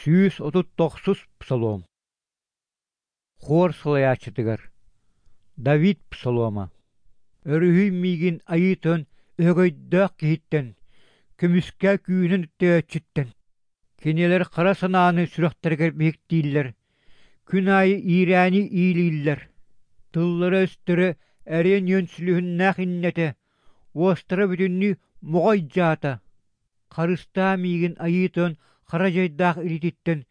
139-ус псалом. Хор салайааччытыгар. Давид псалома. Өрүһүй миигин Айыы Тойон өһөгөйдөөх киһиттэн, көмүскээ күүһүнэн өттөйөөччүттэн. Кинилэр хара санааны сүрэхтэригэр биһиктииллэр, күн аайы иирээни иилииллэр. Тыллара-өстөрө эриэн үөн сүлүһүннээх иннэтэ, уостара бүтүннүү моҕой дьаата. Харыстаа миигин Айыы Тойон хара дьайдаах илиититтэн,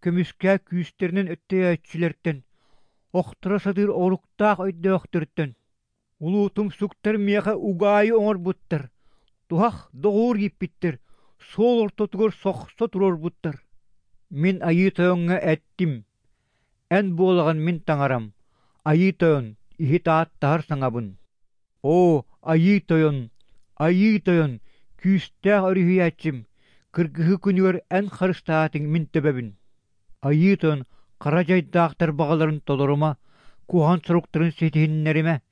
көмүскээ күүстэринэн өттөйөөччүлэртэн, охторо сатыыр оруктаах өйдөөхтөртөн. Улуутумсуктар миэхэ угаайы оҥорбуттар, туһах доҕуур ииппиттэр, суол ортотугар сохсо туруорбуттар. Мин Айыы Тойоҥҥо эттим: Эн буолаҕын мин таҥарам, Айыы Тойон, иһит ааттаһар саҥабын. Оо, Айыы Тойон, Айыы Тойон, күүстээх өрүһүйээччим, кыргыһыы күнүгэр эн харыстаатыҥ мин төбөбүн. Айыы Тойон хара дьайдаахтар баҕаларын толорума, куһаҕан соруктарын ситиһиннэримэ,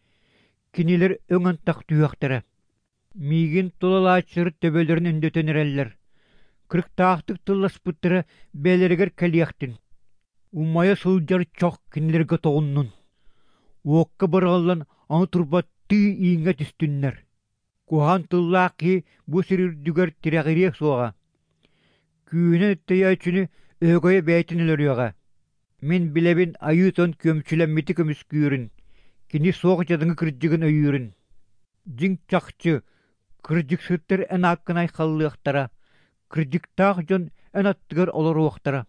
кинилэр өҥ антах түһүөхтэрэ. Миигин тулалааччылар төбөлөрүн өндөтөн эрэллэр, кырыктаахтык тылласпыттара бэйэлэригэр кэлиэхтин. Умайа сылдьар чох кинилэргэ тоҕуннун, уокка быраҕыллан аны турбаттыы ииҥҥэ түстүннэр. Куһаҕан тыллаах киһи бу сир үрдүгэр тирэҕириэ суоҕа, күүһүнэн өттөйөөччүнү өһөгөйө бэйэтин өлөрүөҕэ. Мин билэбин Айыы Тойон күөмчүлэммити көмүскүүрүн, кини суох дьадаҥы кырдьыгын өйүүрүн. Дьиҥ чахчы, кырдьыксыттар эн ааккын айхаллыахтара, кырдьыктаах дьон эн аттыгар олоруохтара.